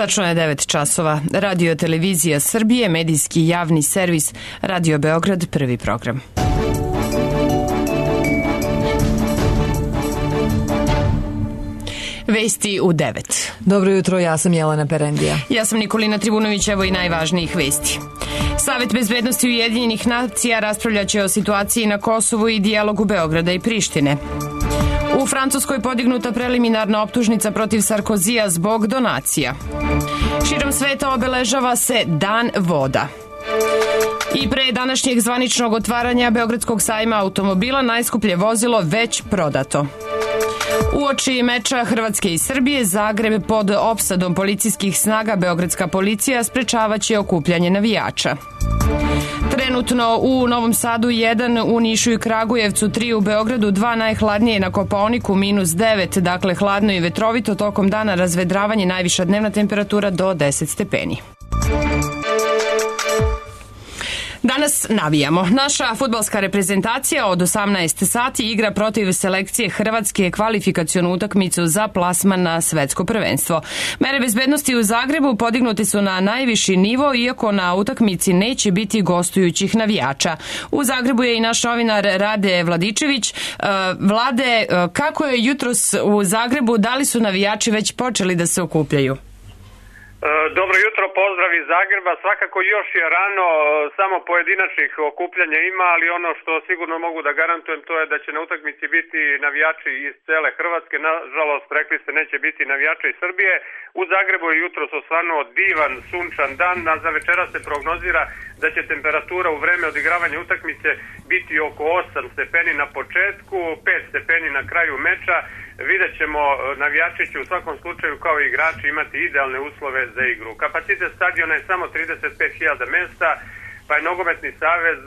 Tačno je 9 časova. Radio Televizija Srbije, medijski javni servis, Radio Beograd, prvi program. Vesti u 9. Dobro jutro, ja sam Jelena Perendija. Ja sam Nikolina Tribunović, evo i najvažnijih vesti. Savet bezbednosti Ujedinjenih nacija raspravljaće o situaciji na Kosovu i dijalogu Beograda i Prištine. U Francuskoj podignuta preliminarna optužnica protiv Sarkozija zbog donacija. Širom sveta obeležava se Dan voda. I pre današnjeg zvaničnog otvaranja Beogradskog sajma automobila najskuplje vozilo već prodato. Uoči meča Hrvatske i Srbije, Zagreb pod opsadom policijskih snaga, beogradska policija sprečavaće okupljanje navijača. Trenutno u Novom Sadu 1, u Nišu i Kragujevcu 3, u Beogradu 2, najhladnije na Kopaoniku -9, dakle hladno i vetrovito, tokom dana razvedravanje, najviša dnevna temperatura do 10 stepeni. Danas navijamo. Naša fudbalska reprezentacija od 18 sati igra protiv selekcije Hrvatske kvalifikacionu utakmicu za plasman na svetsko prvenstvo. Mere bezbednosti u Zagrebu podignute su na najviši nivo, iako na utakmici neće biti gostujućih navijača. U Zagrebu je i naš novinar Rade Vladičević. Vlade, kako je jutros u Zagrebu? Da li su navijači već počeli da se okupljaju? Dobro jutro, pozdrav iz Zagreba. Svakako još je rano, samo pojedinačnih okupljanja ima, ali ono što sigurno mogu da garantujem to je da će na utakmici biti navijači iz cele Hrvatske. Nažalost, rekli ste, neće biti navijača iz Srbije. U Zagrebu je jutros osvanuo divan, sunčan dan, a za večera se prognozira da će temperatura u vreme odigravanja utakmice biti oko 8 stepeni na početku, 5 stepeni na kraju meča. Vidjet ćemo, navijači će u svakom slučaju kao i igrači imati idealne uslove za igru. Kapacitet stadiona je samo 35.000 mesta, pa je Nogometni savez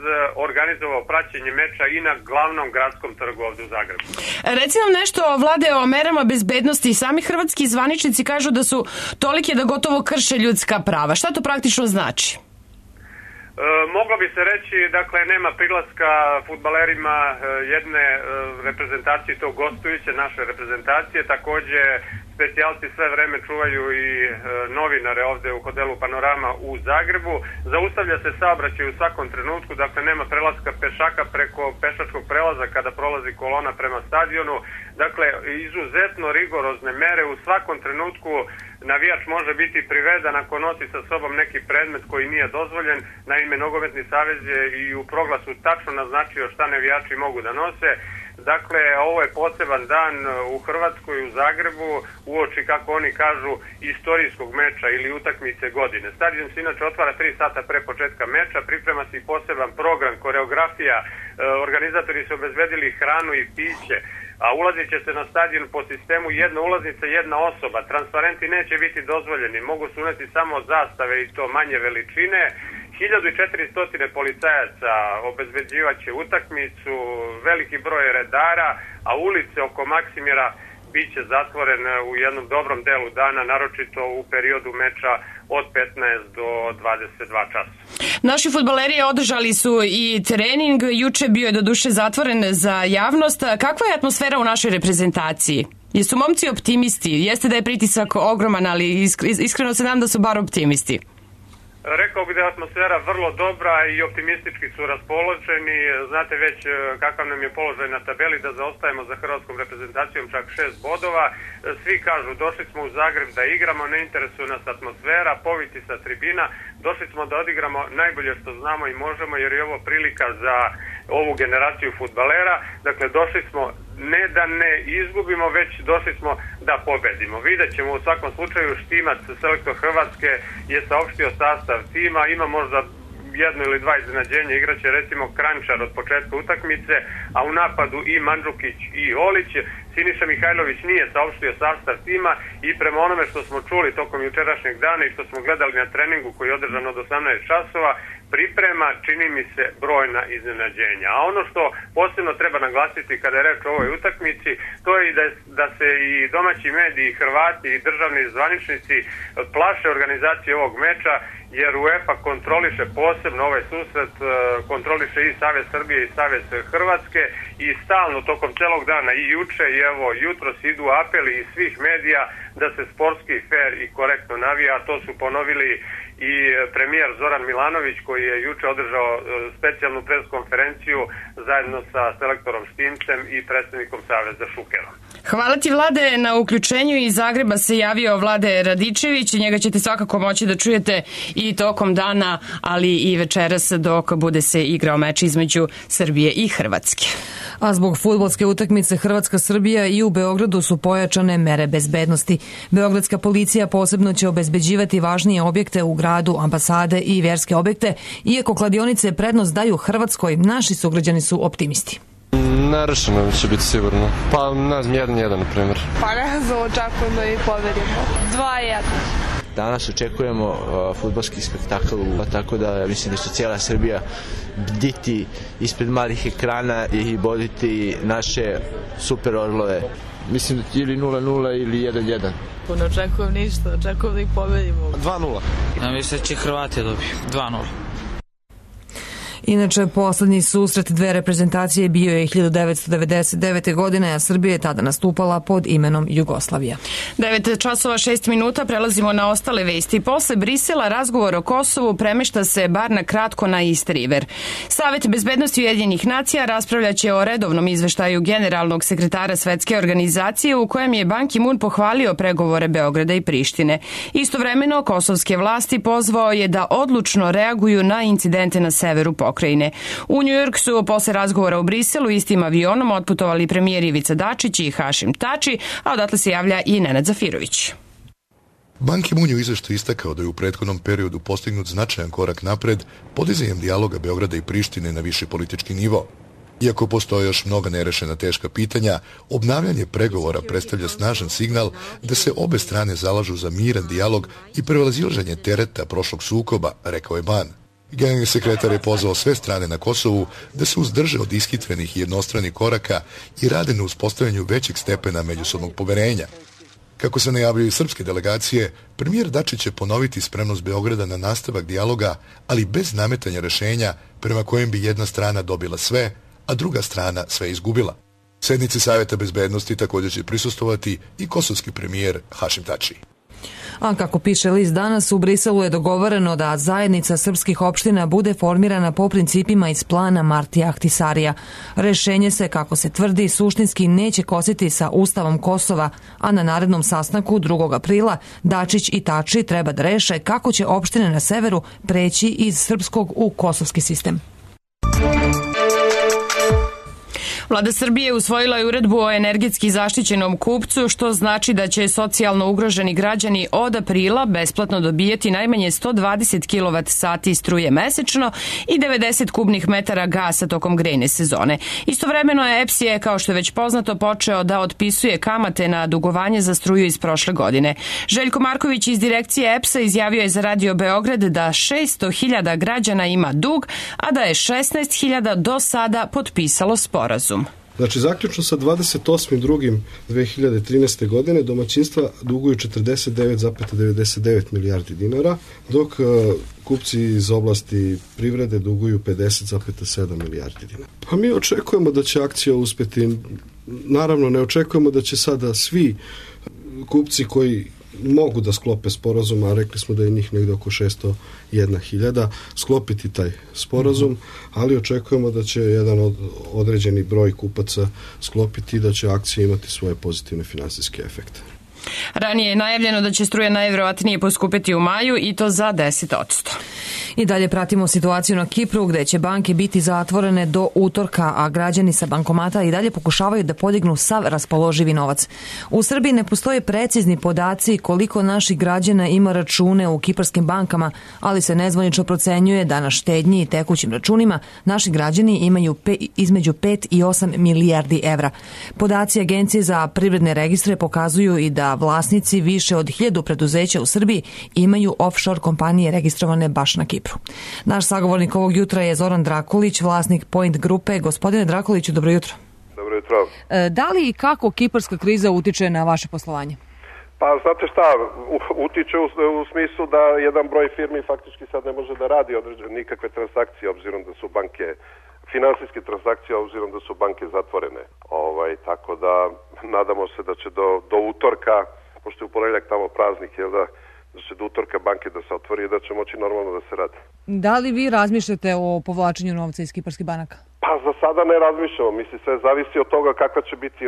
organizovao praćenje meča i na glavnom gradskom trgu ovde u Zagrebu. Reci nam nešto, Vlade, o merama bezbednosti. Sami hrvatski zvaničnici kažu da su tolike da gotovo krše ljudska prava. Šta to praktično znači? Moglo bi se reći, dakle, nema prilaska fudbalerima jedne reprezentacije, to gostujuće naše reprezentacije. Takođe, specijalci sve vreme čuvaju i novinare ovde u hotelu Panorama u Zagrebu. Zaustavlja se saobraćaj u svakom trenutku, dakle nema prelaska pešaka preko pešačkog prelaza kada prolazi kolona prema stadionu. Dakle, izuzetno rigorozne mere. U svakom trenutku navijač može biti priveden ako nosi sa sobom neki predmet koji nije dozvoljen. Naime, Nogometni savez je i u proglasu tačno naznačio šta navijači mogu da nose. Dakle, ovo je poseban dan u Hrvatskoj, u Zagrebu, uoči, kako oni kažu, istorijskog meča ili utakmice godine. Stadion se inače otvara 3 sata pre početka meča, priprema se i poseban program, koreografija, organizatori su obezbedili hranu i piće, a ulazit će se na stadion po sistemu jedna ulaznica, jedna osoba. Transparenti neće biti dozvoljeni, mogu se uneti samo zastave i to manje veličine. 1400 policajaca obezbeđivaće utakmicu, veliki broj redara, a ulice oko Maksimira biće zatvorene u jednom dobrom delu dana, naročito u periodu meča od 15 do 22 časa. Naši fudbaleri održali su i trening, juče bio je doduše zatvoren za javnost. Kakva je atmosfera u našoj reprezentaciji? Jesu momci optimisti? Jeste da je pritisak ogroman, ali iskreno se nadam da su bar optimisti. Rekao bih da je atmosfera vrlo dobra i optimistički su raspoloženi. Znate već kakav nam je položaj na tabeli, da zaostajemo za hrvatskom reprezentacijom čak 6 bodova. Svi kažu, došli smo u Zagreb da igramo, ne interesuje nas atmosfera, poviti sa tribina. Došli smo da odigramo najbolje što znamo i možemo, jer je ovo prilika za ovu generaciju fudbalera. Dakle, došli smo ne da ne izgubimo, već došli smo da pobedimo. Vidjet ćemo u svakom slučaju. Štimac, selektor Hrvatske, je saopštio sastav tima, ima možda jedno ili dva iznenađenja, igraće recimo Kranjčar od početka utakmice, a u napadu i Mandžukić i Olić. Siniša Mihajlović nije saopštio sastav tima i prema onome što smo čuli tokom jučerašnjeg dana i što smo gledali na treningu koji je održan od 18 časova, priprema, čini mi se, brojna iznenađenja. A ono što posebno treba naglasiti kada je reč o ovoj utakmici, to je da se i domaći mediji, Hrvati i državni zvaničnici plaše organizacije ovog meča, jer UEFA kontroliše posebno ovaj susret, kontroliše i Savez Srbije i Savez Hrvatske i stalno tokom celog dana i juče i evo jutros idu apeli iz svih medija da se sportski, fair i korektno navija. To su ponovili i premijer Zoran Milanović koji je juče održao specijalnu preskonferenciju zajedno sa selektorom Štimcem i predsjednikom Saveza Šukerom. Hvala ti, Vlade, na uključenju. Iz Zagreba se javio Vlade Radičević. Njega ćete svakako moći da čujete i tokom dana, ali i večeras dok bude se igrao meč između Srbije i Hrvatske. A zbog fudbalske utakmice Hrvatska-Srbija i u Beogradu su pojačane mere bezbednosti. Beogradska policija posebno će obezbeđivati važnije objekte u gradu, ambasade i vjerske objekte. Iako kladionice prednost daju Hrvatskoj, naši sugrađani su optimisti. Nerešeno će biti sigurno. Pa ne znam, 1-1 na primjer. Pa ne znam, očekujem da i pobedimo. 2-1. Danas očekujemo fudbalski spektakl, tako da mislim da će cijela Srbija bditi ispred malih ekrana i boditi naše super orlove. Mislim da ili 0-0 ili 1-1. Ne očekujem ništa, očekujem da ih pobedimo. 2-0. Ja mislim da će Hrvati dobiti 2-0. Inače, poslednji susret dve reprezentacije bio je 1999. godine, a Srbija je tada nastupala pod imenom Jugoslavija. 9 časova 6 minuta, prelazimo na ostale vesti. Posle Brisela razgovor o Kosovu premešta se bar na kratko na East River. Savet bezbednosti Ujedinjenih nacija raspravljaće o redovnom izveštaju generalnog sekretara Svetske organizacije u kojem je Ban Ki-moon pohvalio pregovore Beograda i Prištine. Istovremeno, kosovske vlasti pozvao je da odlučno reaguju na incidente na severu pokrajine. U Njujork su posle razgovora u Briselu istim avionom otputovali premijer Ivica Dačić i Hašim Tači, a odatle se javlja i Nenad Zafirović. Ban Ki-moon je u izveštaju istakao da je u prethodnom periodu postignut značajan korak napred podizanjem dijaloga Beograda i Prištine na viši politički nivo. Iako postoje još mnoga nerešena teška pitanja, obnavljanje pregovora predstavlja snažan signal da se obe strane zalažu za miran dijalog i prevazilaženje tereta prošlog sukoba, rekao je Ban. Generalni sekretar je pozvao sve strane na Kosovu da se uzdrže od ishitrenih i jednostranih koraka i rade na uspostavljanju većeg stepena međusobnog poverenja. Kako se najavljaju srpske delegacije, premijer Dačić će ponoviti spremnost Beograda na nastavak dijaloga, ali bez nametanja rešenja prema kojem bi jedna strana dobila sve, a druga strana sve izgubila. Sednici Saveta bezbednosti također će prisustvovati i kosovski premijer Hašim Tači. A kako piše list danas, u Briselu je dogovoreno da zajednica srpskih opština bude formirana po principima iz plana Martija Ahtisarija. Rešenje se, kako se tvrdi, suštinski neće kositi sa Ustavom Kosova, a na narednom sastanku 2. aprila Dačić i Tači treba da reše kako će opštine na severu preći iz srpskog u kosovski sistem. Vlada Srbije usvojila je uredbu o energetski zaštićenom kupcu, što znači da će socijalno ugroženi građani od aprila besplatno dobijeti najmanje 120 kWh struje mesečno i 90 kubnih metara gasa tokom grejne sezone. Istovremeno je EPS je, kao što je već poznato, počeo da otpisuje kamate na dugovanje za struju iz prošle godine. Željko Marković iz direkcije EPS-a izjavio je za Radio Beograd da 600.000 građana ima dug, a da je 16.000 do sada potpisalo sporazum. Znači, zaključno sa 28.2.2013. godine domaćinstva duguju 49,99 milijardi dinara, dok kupci iz oblasti privrede duguju 50,7 milijardi dinara. Pa mi očekujemo da će akcija uspeti. Naravno, ne očekujemo da će sada svi kupci koji mogu da sklope sporazum, a rekli smo da je njih negdje oko 601.000 sklopiti taj sporazum, ali očekujemo da će jedan određeni broj kupaca sklopiti i da će akcija imati svoje pozitivne finansijske efekte. Ranije je najavljeno da će struja najvjerovatnije poskupeti u maju i to za 10%. I dalje pratimo situaciju na Kipru, gde će banke biti zatvorene do utorka, a građani sa bankomata i dalje pokušavaju da podignu sav raspoloživi novac. U Srbiji ne postoje precizni podaci koliko naših građana ima račune u kiparskim bankama, ali se nezvanično procenjuje da na štednji i tekućim računima naši građani imaju između 5 i 8 milijardi evra. Podaci Agencije za privredne registre pokazuju i da vlasnici više od 1000 preduzeća u Srbiji imaju offshore kompanije registrovane baš na Kipru. Naš sagovornik ovog jutra je Zoran Drakulić, vlasnik Point grupe. Gospodine Drakuliću, dobro jutro. Dobro jutro. Da li i kako kiparska kriza utiče na vaše poslovanje? Pa znate šta, utiče u smislu da jedan broj firmi faktički sad ne može da radi nikakve transakcije, obzirom da su banke finansijske transakcije, obzirom da su banke zatvorene. Tako da nadamo se da će do utorka, pošto je u ponedeljak tamo praznik, da će do utorka banke da se otvori i da će moći normalno da se radi. Da li vi razmišljate o povlačenju novca iz kiparskih banaka? Pa za sada ne razmišljamo. Mislim, sve zavisi od toga kakva će biti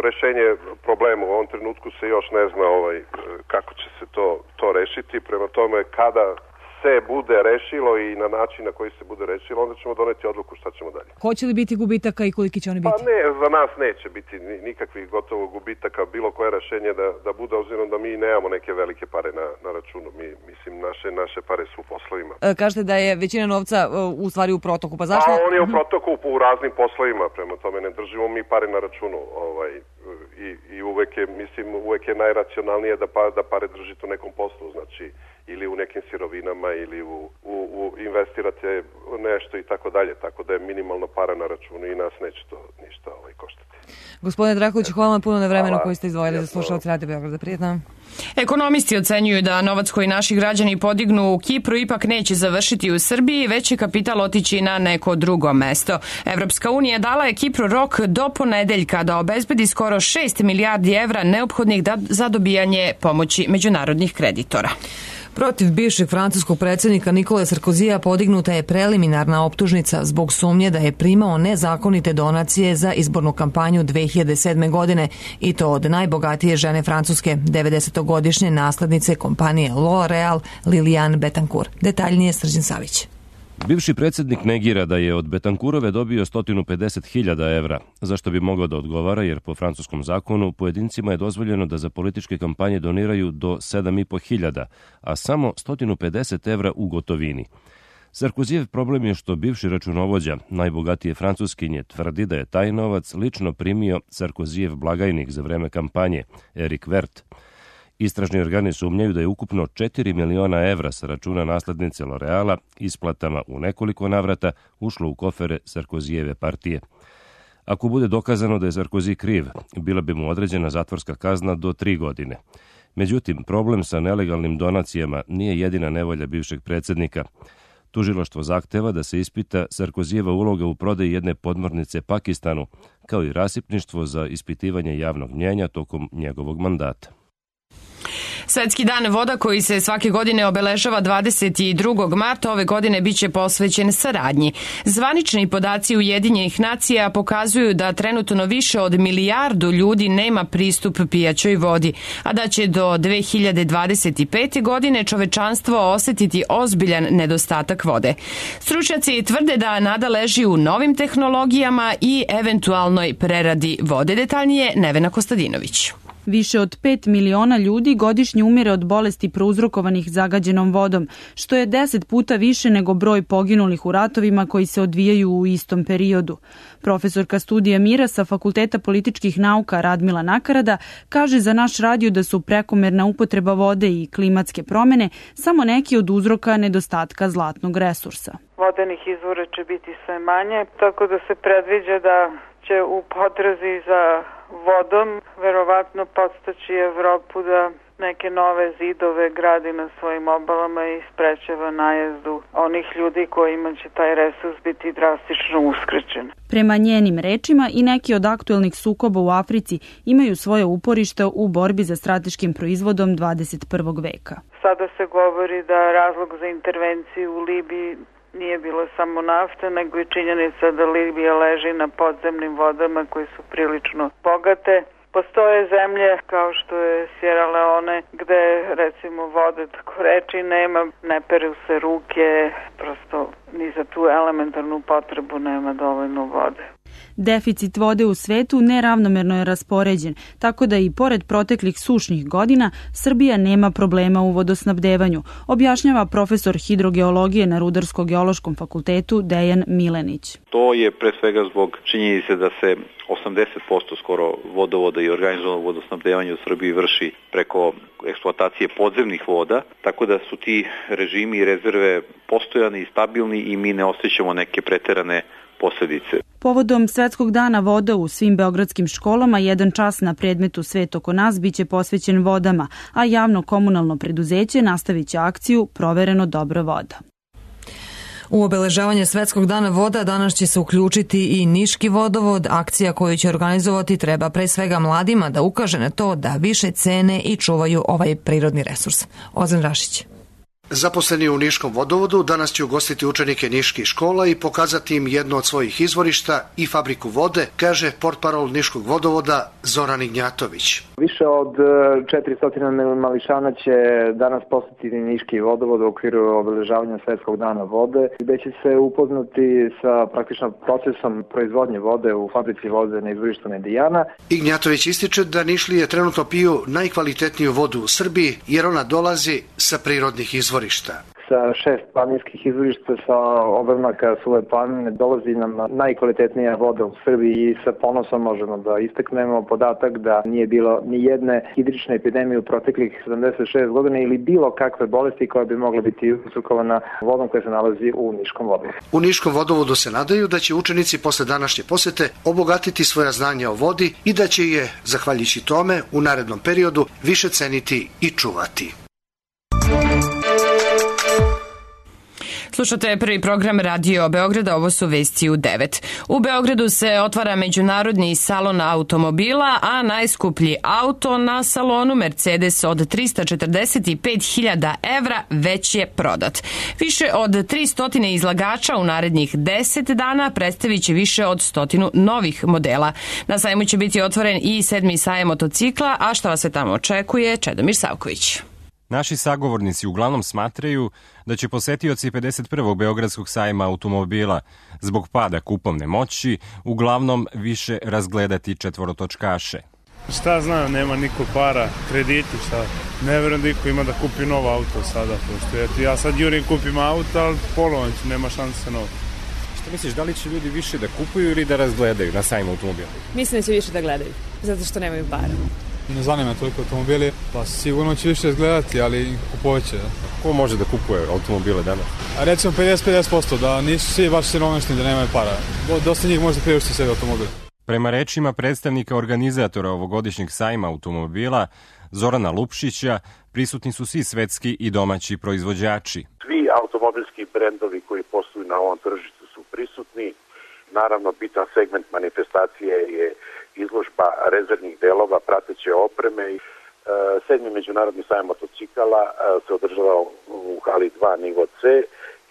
rešenje problema. U ovom trenutku se još ne zna kako će se to rešiti. Prema tome, kada se bude rešilo i na način na koji se bude rešilo, onda ćemo doneti odluku šta ćemo dalje. Hoće li biti gubitaka i koliki će oni biti? Pa ne, za nas neće biti nikakvih gotovo gubitaka, bilo koje rešenje da bude, obzirom da mi nemamo neke velike pare na računu. Mislim, naše pare su u poslovima. Kažete da je većina novca u stvari u protoku, pa zašto? On je u protoku u raznim poslovima, prema tome ne držimo mi pare na računu. I uvek je najracionalnije da pare držite u nekom poslu, znači ili u nekim sirovinama ili investirate nešto i tako dalje, tako da je minimalno para na računu i nas neće to ništa koštati. Gospodine Drakulić, hvala vam puno na vremenu koji ste izdvojili za slušalce Radio Beograda. Prijetno. Ekonomisti ocenjuju da novac koji naši građani podignu u Kipru ipak neće završiti u Srbiji, već će kapital otići na neko drugo mesto. Evropska unija dala je Kipru rok do ponedeljka da obezbedi skoro 6 milijardi evra neophodnih za dobijanje pomoći međunarodnih kreditora. Protiv bivšeg francuskog predsjednika Nikole Sarkozija podignuta je preliminarna optužnica zbog sumnje da je primao nezakonite donacije za izbornu kampanju 2007. godine i to od najbogatije žene Francuske, 90-godišnje naslednice kompanije L'Oréal, Liliane Bettencourt. Detaljnije Srđan Savić. Bivši predsjednik negira da je od Betankurove dobio 150.000 evra, zašto bi mogao da odgovara jer po francuskom zakonu pojedincima je dozvoljeno da za političke kampanje doniraju do 7.500, a samo 150 evra u gotovini. Sarkozijev problem je što bivši računovođa, najbogatije Francuskinje, tvrdi da je taj novac lično primio Sarkozijev blagajnik za vreme kampanje, Eric Vert. Istražni organi sumnjaju da je ukupno 4 miliona evra sa računa naslednice L'Oréala isplatama u nekoliko navrata ušlo u kofere Sarkozijeve partije. Ako bude dokazano da je Sarkozy kriv, bila bi mu određena zatvorska kazna do 3 godine. Međutim, problem sa nelegalnim donacijama nije jedina nevolja bivšeg predsjednika. Tužilaštvo zahteva da se ispita Sarkozijeva uloga u prodaji jedne podmornice Pakistanu, kao i rasipništvo za ispitivanje javnog mnjenja tokom njegovog mandata. Svetski dan voda koji se svake godine obeležava 22. marta ove godine biće posvećen saradnji. Zvanični podaci Ujedinjenih nacija pokazuju da trenutno više od 1 milijardu ljudi nema pristup pijaćoj vodi, a da će do 2025. godine čovečanstvo osetiti ozbiljan nedostatak vode. Stručnjaci tvrde da nada leži u novim tehnologijama i eventualnoj preradi vode. Detaljnije Nevena Kostadinović. Više od 5 miliona ljudi godišnje umire od bolesti prouzrokovanih zagađenom vodom, što je 10 puta više nego broj poginulih u ratovima koji se odvijaju u istom periodu. Profesorka studija mira sa Fakulteta političkih nauka Radmila Nakarada kaže za naš radio da su prekomerna upotreba vode i klimatske promene samo neki od uzroka nedostatka zlatnog resursa. Vodenih izvora će biti sve manje, tako da se predviđa da će u potrazi za vodom verovatno podstaći Evropu da neke nove zidove gradi na svojim obalama i sprečava najezdu onih ljudi kojima će taj resurs biti drastično uskraćen. Prema njenim rečima i neki od aktuelnih sukoba u Africi imaju svoje uporište u borbi za strateškim proizvodom 21. veka. Sada se govori da razlog za intervenciju u Libiji nije bilo samo nafta, nego i činjenica da Libija leži na podzemnim vodama koje su prilično bogate. Postoje zemlje kao što je Sierra Leone gde recimo vode tako reći nema, ne peru se ruke, prosto ni za tu elementarnu potrebu nema dovoljno vode. Deficit vode u svetu neravnomerno je raspoređen, tako da i pored proteklih sušnih godina Srbija nema problema u vodosnabdevanju, objašnjava profesor hidrogeologije na Rudarsko-geološkom fakultetu Dejan Milenić. To je pre svega zbog činjenice da se 80% skoro vodovoda i organizovanog vodosnabdevanja u Srbiji vrši preko eksploatacije podzemnih voda, tako da su ti režimi i rezerve postojani i stabilni i mi ne osjećamo neke preterane posledice. Povodom Svetskog dana voda u svim beogradskim školama 1 čas na predmetu Svet oko nas biće posvećen vodama, a javno komunalno preduzeće nastavit će akciju Provereno dobro voda. U obeležavanje Svetskog dana voda danas će se uključiti i Niški vodovod. Akcija koju će organizovati treba pre svega mladima da ukaže na to da više cene i čuvaju ovaj prirodni resurs. Ozan Rašić. Zaposleni u Niškom vodovodu danas će ugostiti učenike niških škola i pokazati im jedno od svojih izvorišta i fabriku vode, kaže portparol Niškog vodovoda Zoran Ignjatović. Više od 400 mališana će danas posetiti Niški vodovod u okviru obeležavanja Svetskog dana vode, gde će se upoznati sa praktično procesom proizvodnje vode u fabrici vode na izvorištu Medijana. Ignjatović ističe da Nišlije trenutno piju najkvalitetniju vodu u Srbiji jer ona dolazi sa prirodnih izvorišta. Sa 6 planinskih izvorišta sa obrnaka Suve planine dolazi nam najkvalitetnija voda u Srbiji i sa ponosom možemo da istaknemo podatak da nije bilo ni jedne hidrične epidemije u proteklih 76 godina ili bilo kakve bolesti koja bi mogla biti uzrokovana vodom koja se nalazi u Niškom vodovodu. U Niškom vodovodu se nadaju da će učenici posle današnje posete obogatiti svoja znanja o vodi i da će je, zahvaljujući tome, u narednom periodu više ceniti i čuvati. Slušate prvi program Radio Beograda, ovo su vesti u 9. U Beogradu se otvara međunarodni salon automobila, a najskuplji auto na salonu Mercedes od 345.000 evra već je prodat. Više od 300 izlagača u narednih 10 dana predstavit će više od 100 novih modela. Na sajmu će biti otvoren i 7. sajam motocikla, a šta vas se tamo očekuje, Čedomir Savković. Naši sagovornici uglavnom smatraju da će posetioci 51. Beogradskog sajma automobila zbog pada kupovne moći uglavnom više razgledati četvorotočkaše. Šta znam, nema niko para, krediti, šta. Ne verujem da iko ima da kupi novo auto sada, pošto ja sad jurim kupim auto, ali polovan ću, nema šanse novo. Šta misliš, da li će ljudi više da kupuju ili da razgledaju na sajmu automobila? Mislim da će više da gledaju, zato što nemaju para. Ne zanima toliko automobili, pa sigurno će više izgledati, ali kupovat će. Ko može da kupuje automobile danas? A recimo 50-50%, da nisu svi baš siromašni, da nemaju para. Dosta njih može da priušti sebi automobil. Prema rečima predstavnika organizatora ovogodišnjeg sajma automobila, Zorana Lupšića, prisutni su svi svetski i domaći proizvođači. Svi automobilski brendovi koji posluju na ovom tržištu su prisutni. Naravno, bitan segment manifestacije je izložba rezervnih delova, prateće opreme. 7. međunarodni sajam motocikala se održava u hali 2 nivo C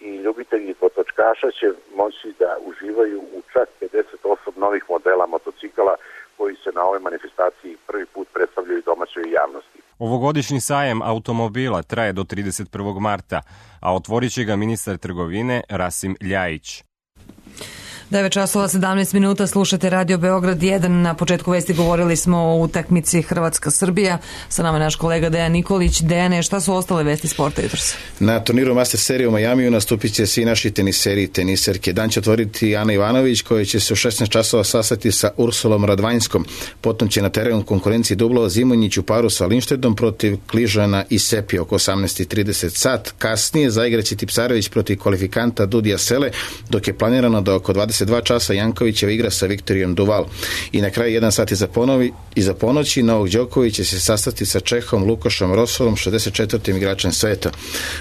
i ljubitelji dvotočkaša će moći da uživaju u čak 58 novih modela motocikala koji se na ovoj manifestaciji prvi put predstavljaju domaćoj javnosti. Ovogodišnji sajam automobila traje do 31. marta, a otvorit će ga ministar trgovine Rasim Ljajić. 9:17, slušate Radio Beograd 1. Na početku vesti govorili smo o utakmici Hrvatska-Srbija. Sa nama je naš kolega Dejan Nikolić. Dejane, šta su ostale vesti sporta jutros? Na turniru Master serije u Majamiju nastupit će svi naši teniseri i teniserke. Dan će otvoriti Ana Ivanović, koja će se u 16 časova sastati sa Ursulom Radvanjskom. Potom će na terenu konkurenciji dublova Zimonjić u paru sa Linštedom protiv Kližana i Sepi oko 18:30 sat. Kasnije zaigraće Tipsarević protiv kvalifikanta Dudija Sele, dok je planirano da oko 22 časa Jankovićeva igra sa Viktorijom Duval. I na kraju 1 sat iza ponoći Novak Đoković će se sastati sa Čehom Lukašom Rosolom, 64. igračem sveta.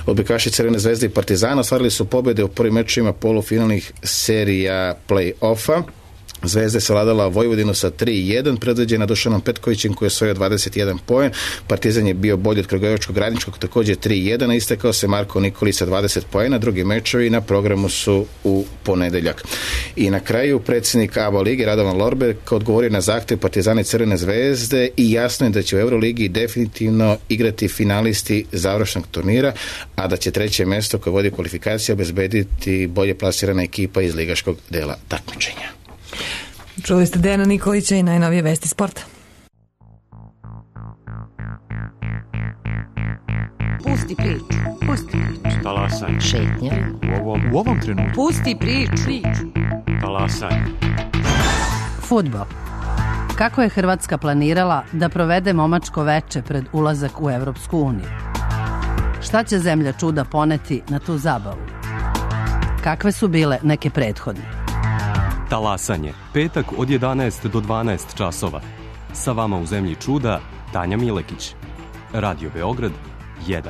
Odbojkaši Crvene zvezde i Partizana ostvarili su pobjede u prvim mečima polufinalnih serija play-offa. Zvezda je savladala Vojvodinu sa 3-1, predvođena Dušanom Petkovićem koji je osvojio 21 poen. Partizan je bio bolji od Kragujevačkog Radničkog, također 3-1, a istekao se Marko Nikolić sa 20 poena. Drugi mečevi na programu su u ponedeljak. I na kraju predsjednik ABA lige Radovan Lorber odgovorio na zahtjev Partizana i Crvene zvezde i jasno je da će u Euroligi definitivno igrati finalisti završnog turnira, a da će treće mjesto koje vodi kvalifikacije obezbediti bolje plasirana ekipa iz ligaškog dela takmičenja. Čuli ste Dejana Nikolića i najnovije vesti sporta. Pusti priču. Talasaj. Šetnja. U ovom trenutku. Pusti priču. Talasaj. Fudbal. Kako je Hrvatska planirala da provede momačko veče pred ulazak u Evropsku uniju? Šta će zemlja čuda poneti na tu zabavu? Kakve su bile neke prethodne? Talasanje. Petak od 11 do 12 časova. Sa vama u zemlji čuda Tanja Milekić. Radio Beograd 1.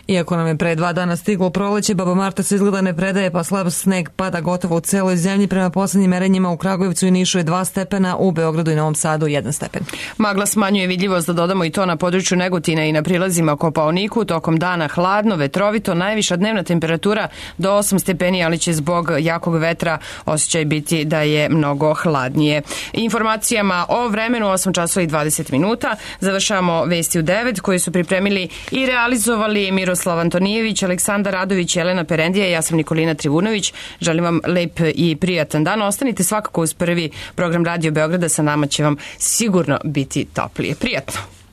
Iako nam je pre 2 dana stiglo proleće, baba Marta se izgleda ne predaje, pa slab sneg pada gotovo u celoj zemlji. Prema poslednjim merenjima u Kragujevcu i Nišu je 2 stepena, u Beogradu i Novom Sadu 1 stepen. Magla smanjuje vidljivost, da dodamo i to na području Negotina i na prilazima Kopaoniku. Tokom dana hladno, vetrovito, najviša dnevna temperatura do 8 stepeni, ali će zbog jakog vetra osjećaj biti da je mnogo hladnije. Informacijama o vremenu 8 časova i 20 minuta. Završavamo vesti u 9 koje su pripremili i realizovali Miroslav Antonijević, Aleksandar Radović, Jelena Perendija i ja sam Nikolina Trivunović. Želim vam lep i prijatan dan. Ostanite svakako uz prvi program Radio Beograda, sa nama će vam sigurno biti toplije. Prijatno!